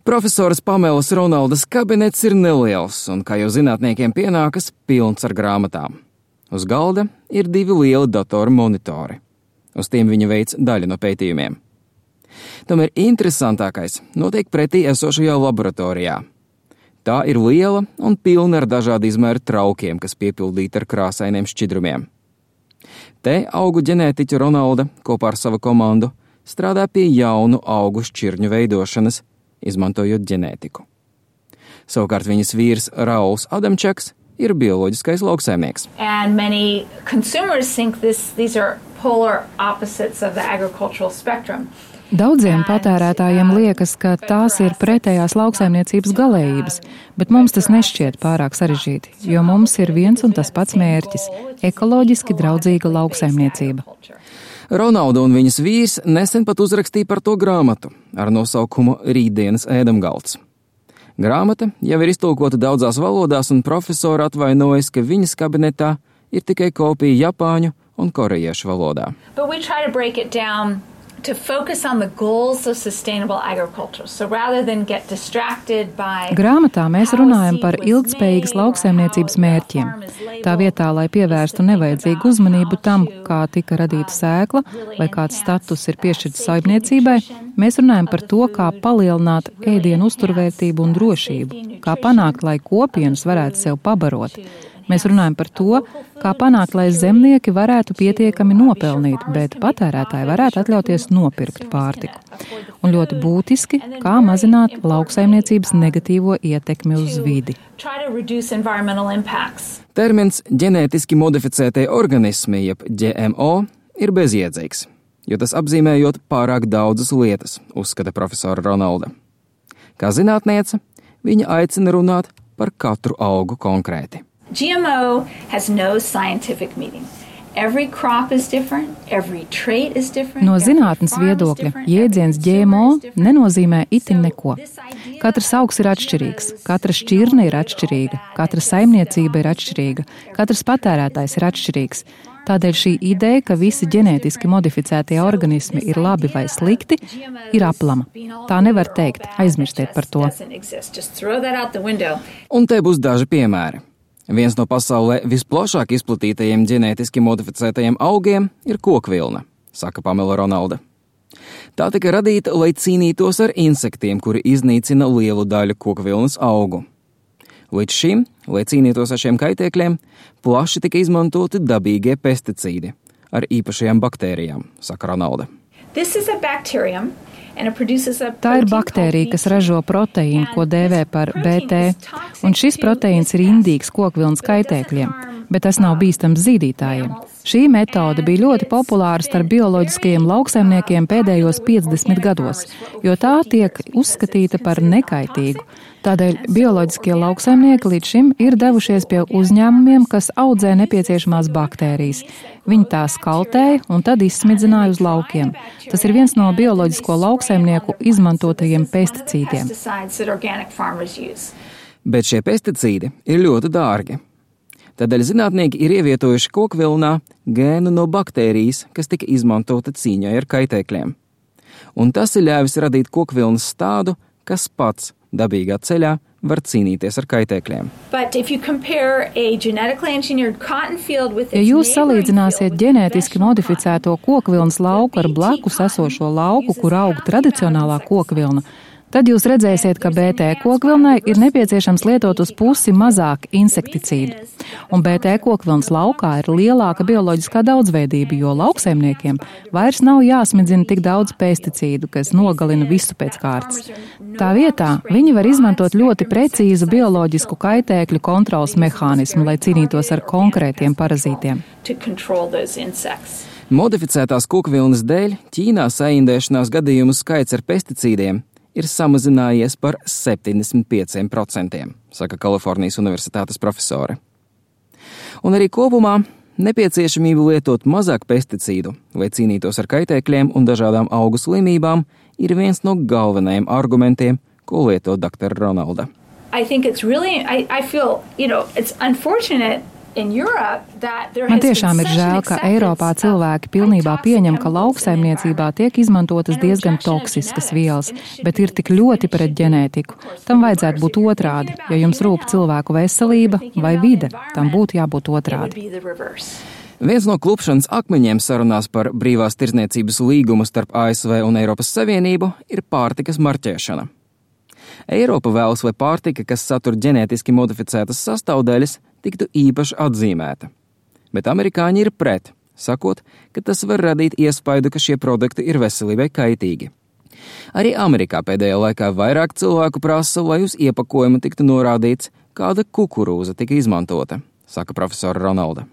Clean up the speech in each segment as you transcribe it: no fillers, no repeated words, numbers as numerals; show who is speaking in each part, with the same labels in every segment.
Speaker 1: Profesoras Pamelas Ronaldas kabinets ir neliels un, kā jau zinātniekiem pienākas, pilns ar grāmatām. Uz galda ir 2 lieli datoru monitori. Uz tiem viņa veic daļu no pētījumiem. Tomēr interesantākais notiek pretī esošajā laboratorijā. Tā ir liela un pilna ar dažādu izmēru traukiem, kas piepildīti ar krāsainiem šķidrumiem. Te augu ģenētiķa Ronalda kopā ar savu komandu strādā pie jaunu augu šķirņu veidošanas, izmantojot ģenētiku. Savukārt viņas vīrs Rauls Adamčaks ir bioloģiskais lauksaimnieks.
Speaker 2: And many consumers think these are polar opposites of the agricultural spectrum.
Speaker 3: Daudziem patērētājiem liekas, ka tās ir pretējās lauksaimniecības galējības, bet mums tas nešķiet pārāk sarežģīti, jo mums ir viens un tas pats mērķis – ekoloģiski draudzīga lauksaimniecība.
Speaker 1: Ronalda un viņas vīrs nesen pat uzrakstīja par to grāmatu ar nosaukumu Rītdienas ēdamgalds. Grāmata jau ir iztulkota daudzās valodās, un profesora atvainojas, ka viņas kabinetā ir tikai kopija japāņu un korejiešu valodā.
Speaker 2: To focus on the goals of sustainable agriculture. So rather than get distracted by
Speaker 3: Grāmatā mēs runājam par ilgtspējīgas lauksaimniecības mērķiem. Tā vietā, lai pievērstu nevajadzīgu uzmanību tam, kā tika radīta sēkla vai kāds status ir piešķirts saimniecībai, mēs runājam par to, kā palielināt ēdienu uzturvērtību un drošību, kā panākt, lai kopienas varētu sev pabarot. Mēs runājam par to, kā panākt, lai zemnieki varētu pietiekami nopelnīt, bet patērētāji varētu atļauties nopirkt pārtiku. Un ļoti būtiski, kā mazināt lauksaimniecības negatīvo ietekmi uz vidi.
Speaker 1: Termins ģenētiski modificētie organismi, jeb GMO, ir bezjēdzīgs, jo tas apzīmējot pārāk daudzas lietas, uzskata profesora Ronalda. Kā zinātniece, viņa aicina runāt par katru augu konkrēti.
Speaker 2: GMO has no scientific meaning. Every crop is different, every trait is different.
Speaker 3: No zinātnes viedokļa jēdziens GMO nenozīmē itin neko. Katrs augs ir atšķirīgs, katra šķirne ir atšķirīga, katra saimniecība ir atšķirīga, katrs patērētājs ir atšķirīgs. Tādēļ šī ideja, ka visi ģenētiski modificētie organismi ir labi vai slikti, ir aplama. Tā nevar teikt, aizmirstiet par to.
Speaker 1: Un te būs daži piemēri. Viens no pasaulē visplašāk izplatītajiem ģenētiski modificētajiem augiem ir kokvilna, saka Pamela Ronalda. Tā tika radīta, lai cīnītos ar insektiem, kuri iznīcina lielu daļu kokvilnas augu. Līdz šim, lai cīnītos ar šiem kaitēkļiem, plaši tika izmantoti dabīgie pesticīdi ar īpašajām baktērijām, saka Ronalda.
Speaker 3: Tā ir baktērija, kas ražo proteīnu, ko dēvē par BT, un šis proteīns ir indīgs kokvilnas kaitēkļiem, bet tas nav bīstams zīdītājiem. Šī metode bija ļoti populāra starp bioloģiskajiem lauksaimniekiem pēdējos 50 gados, jo tā tiek uzskatīta par nekaitīgu. Tādēļ bioloģiskie lauksaimnieki līdz šim ir devušies pie uzņēmumiem, kas audzē nepieciešamās baktērijas. Viņi tās kaltēja un tad izsmidzināja uz laukiem. Tas ir viens no bioloģisko lauksaimnieku izmantotajiem pesticīdiem.
Speaker 1: Bet šie pesticīdi ir ļoti dārgi. Tādēļ zinātnieki ir ievietojuši kokvilnā gēnu no baktērijas, kas tika izmantota cīņai ar kaitēkļiem. Un tas ir ļāvis radīt kokvilnas stādu, kas pats dabīgā ceļā var cīnīties ar kaitēkļiem.
Speaker 3: Ja jūs salīdzināsiet ģenētiski modificēto kokvilnas lauku ar blakus esošo lauku, kur aug tradicionālā kokvilna, tad jūs redzēsiet, ka BT kokvilnai ir nepieciešams lietot uz pusi mazāk insekticīdu. Un BT kokvilnas laukā ir lielāka bioloģiskā daudzveidība, jo lauksaimniekiem vairs nav jāsmidzina tik daudz pesticīdu, kas nogalina visu pēc kārtas. Tā vietā viņi var izmantot ļoti precīzu bioloģisku kaitēkļu kontrolas mehānismu, lai cīnītos ar konkrētiem parazītiem.
Speaker 1: Modificētās kokvilnas dēļ Ķīnā saindēšanās gadījumu skaits ar pesticīdiem ir samazinājies par 75%, saka Kalifornijas Universitātes profesore. Un arī kopumā nepieciešamība lietot mazāk pesticīdu, lai cīnītos ar kaitēkļiem un dažādām augu slimībām, ir viens no galvenajiem argumentiem, ko lieto dr. Ronalda.
Speaker 2: I feel, it's unfortunate
Speaker 3: Man tiešām ir žēl, ka Eiropā cilvēki pilnībā pieņem, ka lauksaimniecībā tiek izmantotas diezgan toksiskas vielas, bet ir tik ļoti pret ģenētiku. Tam vajadzētu būt otrādi. Ja jums rūp cilvēku veselība vai vide, tam būtu jābūt otrādi.
Speaker 1: Viens no klupšanas akmeņiem sarunās par brīvās tirdzniecības līgumu starp ASV un Eiropas Savienību ir pārtikas marķēšana. Eiropa vēlas, lai pārtika, kas satur ģenētiski modificētas sastāvdaļas, tiktu īpaši atzīmēta. Bet amerikāņi ir pret, sakot, ka tas var radīt iespaidu, ka šie produkti ir veselībai kaitīgi. Arī Amerikā pēdējā laikā vairāk cilvēku prasa, lai uz iepakojuma tiktu norādīts, kāda kukurūza tika izmantota, saka profesora Ronalda.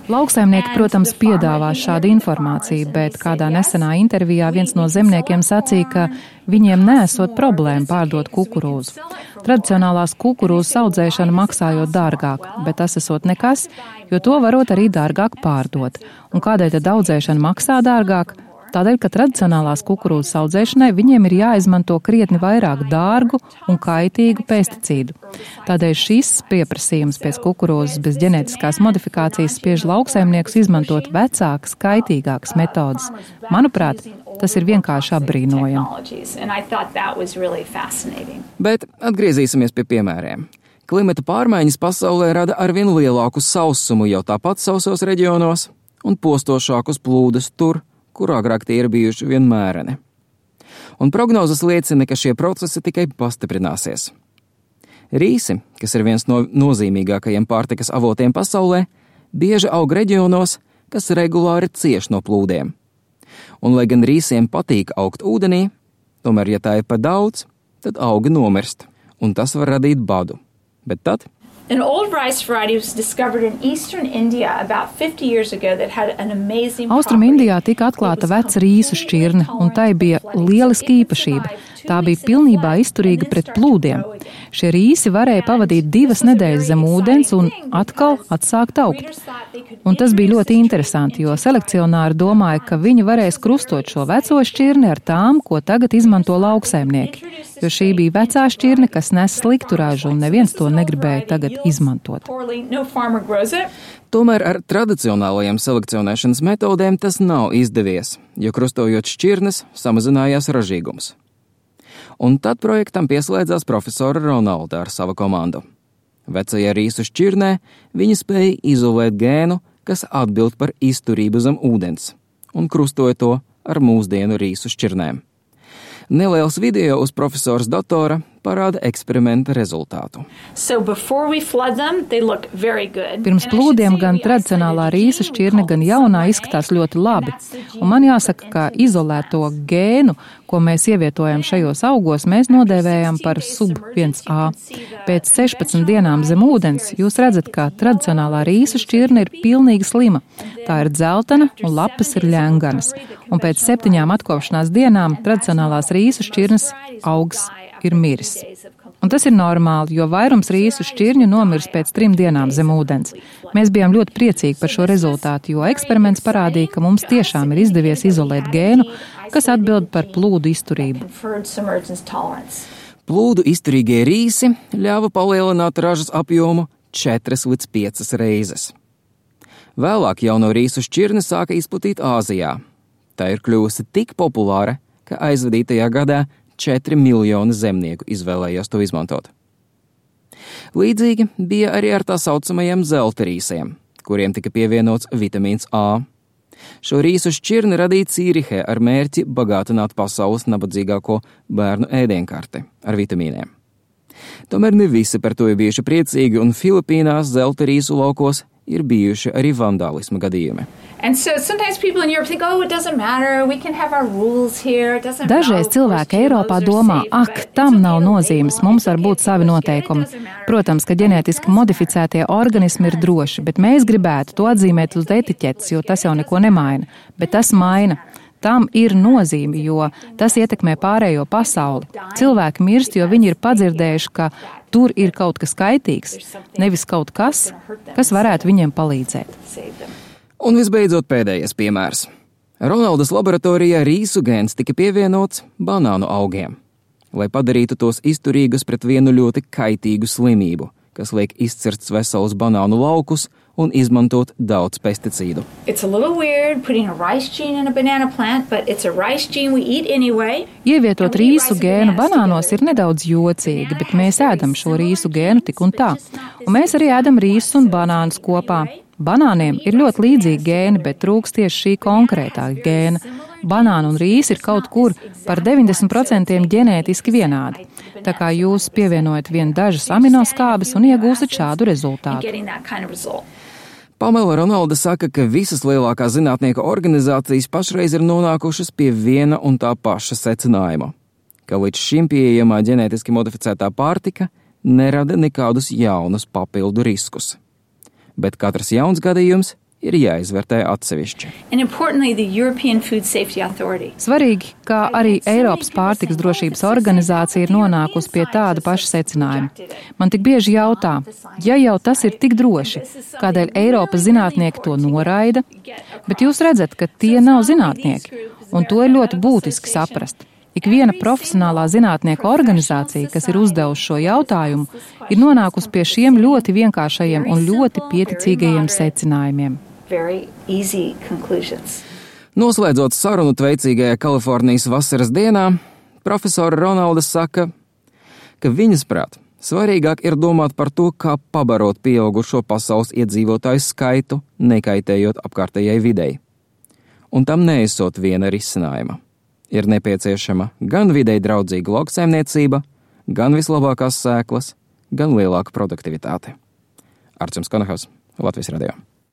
Speaker 3: Lauksaimnieki, protams, piedāvās šādu informāciju, bet kādā nesenā intervijā viens no zemniekiem sacīja, ka viņiem nesot problēma pārdot kukurūzu. Tradicionālās kukurūzas audzēšana maksājot dārgāk, bet tas esot nekas, jo to varot arī dārgāk pārdot. Un kādēļ tad audzēšana maksā dārgāk? Tādēļ, ka tradicionālās kukurūzas audzēšanai viņiem ir jāizmanto krietni vairāk dārgu un kaitīgu pesticīdu. Tādēļ šis pieprasījums pēc kukurūzas bez ģenētiskās modifikācijas spiež lauksaimniekus izmantot vecākas, kaitīgākas metodas. Manuprāt, tas ir vienkārši apbrīnojami.
Speaker 1: Bet atgriezīsimies pie piemēriem. Klimata pārmaiņas pasaulē rada arvien lielāku sausumu jau tāpat sausos reģionos un postošākus plūdus tur, kur agrāk tie ir bijuši vienmēreni. Un prognozes liecina, ka šie procesi tikai pastiprināsies. Rīsi, kas ir viens no nozīmīgākajiem pārtikas avotiem pasaulē, bieži aug reģionos, kas regulāri cieš no plūdiem. Un, lai gan rīsiem patīk augt ūdenī, tomēr, ja tā ir par daudz, tad augi nomirst, un tas var radīt badu. Bet tad
Speaker 2: An old rice variety was discovered in eastern India about 50 years ago that had an amazing
Speaker 3: Austrum Indijā tika atklāta veca rīsu šķirne, un tai bija lieliska īpašība. Tā bija pilnībā izturīga pret plūdiem. Šie rīsi varēja pavadīt 2 nedēļas zem ūdens un atkal atsākt augt. Un tas bija ļoti interesanti, jo selekcionāri domāja, ka viņi varēs krustot šo veco šķirni ar tām, ko tagad izmanto lauksaimnieki. Jo šī bija vecā šķirne, kas nes sliktu ražu, un neviens to negribēja tagad izmantot.
Speaker 1: Tomēr ar tradicionālajiem selekcionēšanas metodēm tas nav izdevies, jo krustojot šķirnes samazinājās ražīgums. Un tad projektam pieslēdzās profesora Ronalda ar savu komandu. Vecajā rīsu šķirnē viņi spēja izolēt gēnu, kas atbild par izturību zem ūdens, un krustoja to ar mūsdienu rīsu šķirnēm. Neliels video uz profesors datora parāda eksperimenta rezultātu.
Speaker 3: Pirms plūdiem gan tradicionālā rīsa šķirne, gan jaunā izskatās ļoti labi. Un man jāsaka, ka izolēto gēnu, ko mēs ievietojam šajos augos, mēs nodēvējam par sub-1A. Pēc 16 dienām zem ūdens jūs redzat, ka tradicionālā rīsa šķirne ir pilnīgi slima. Tā ir dzeltena un lapas ir ļenganas. Un pēc 7 atkopšanās dienām tradicionālās rīsu šķirnes augs ir miris. Un tas ir normāli, jo vairums rīsu šķirņu nomirs pēc 3 dienām zem ūdens. Mēs bijām ļoti priecīgi par šo rezultātu, jo eksperiments parādīja, ka mums tiešām ir izdevies izolēt gēnu, kas atbild par plūdu izturību.
Speaker 1: Plūdu izturīgie rīsi ļāva palielināt ražas apjomu 4 līdz 5 reizes. Vēlāk jauno rīsu šķirni sāka izplatīt Āzijā. Tā ir kļuvusi tik populāra, ka aizvadītajā gadā 4 miljoni zemnieku izvēlējās to izmantot. Līdzīgi bija arī ar tā saucamajiem zelta rīsiem, kuriem tika pievienots vitamīns A. Šo rīsu šķirni radīja Cīrihē ar mērķi bagātināt pasaules nabadzīgāko bērnu ēdienkarti ar vitamīniem. Tomēr ne visi par to ir bijuši priecīgi, un Filipīnās zelta rīsu laukos ir bijuši arī vandālisma gadījumi.
Speaker 3: Dažreiz cilvēki Eiropā domā, tam nav nozīmes, mums var būt savi noteikumi. Protams, ka ģenētiski modificētie organismi ir droši, bet mēs gribētu to atzīmēt uz etiķetes, jo tas jau neko nemaina. Bet tas maina. Tam ir nozīme, jo tas ietekmē pārējo pasauli. Cilvēki mirst, jo viņi ir padzirdējuši, ka tur ir kaut kas kaitīgs, nevis kaut kas, kas varētu viņiem palīdzēt.
Speaker 1: Un visbeidzot pēdējais piemērs. Ronaldas laboratorijā rīsu gēns tika pievienots banānu augiem. lai padarītu tos izturīgus pret vienu ļoti kaitīgu slimību, kas liek izcirst veselus banānu laukus un izmantot daudz pesticīdu.
Speaker 3: Ievietot rīsu gēnu banānos ir nedaudz jocīgi, bet mēs ēdam šo rīsu gēnu tik un tā. Un mēs arī ēdam rīsus un banānus kopā. Banāniem ir ļoti līdzīgi gēni, bet trūkst tieši šī konkrētā gēna. Banāna un rīsi ir kaut kur par 90% ģenētiski vienādi. Tā kā jūs pievienojat vien dažas aminoskābes un iegūstat šādu rezultātu.
Speaker 1: Pamela Ronalda saka, ka visas lielākās zinātnieku organizācijas pašreiz ir nonākušas pie viena un tā paša secinājuma, ka līdz šim pieejamā ģenētiski modificētā pārtika nerada nekādus jaunus papildu riskus. Bet katrs jauns gadījums ir jāizvērtē atsevišķi.
Speaker 3: Svarīgi, ka arī Eiropas pārtikas drošības organizācija ir nonākusi pie tāda paša secinājuma. Man tik bieži jautā, ja jau tas ir tik droši, kādēļ Eiropas zinātnieki to noraida, bet jūs redzat, ka tie nav zinātnieki, un to ir ļoti būtiski saprast. Ikviena profesionālā zinātnieku organizācija, kas ir uzdevusi šo jautājumu, ir nonākusi pie šiem ļoti vienkāršajiem un ļoti pieticīgajiem secinājumiem.
Speaker 1: Noslēdzot sarunu tveicīgajā Kalifornijas vasaras dienā, profesora Ronalda saka, ka viņas prāt svarīgāk ir domāt par to, kā pabarot pieaugušo pasaules iedzīvotāju skaitu, nekaitējot apkārtējai videi. Un tam neesot viena risinājuma. Ir nepieciešama gan videi draudzīga lauksaimniecība, gan vislabākās sēklas, gan lielāka produktivitāte. Artjums Konahos, Latvijas radio.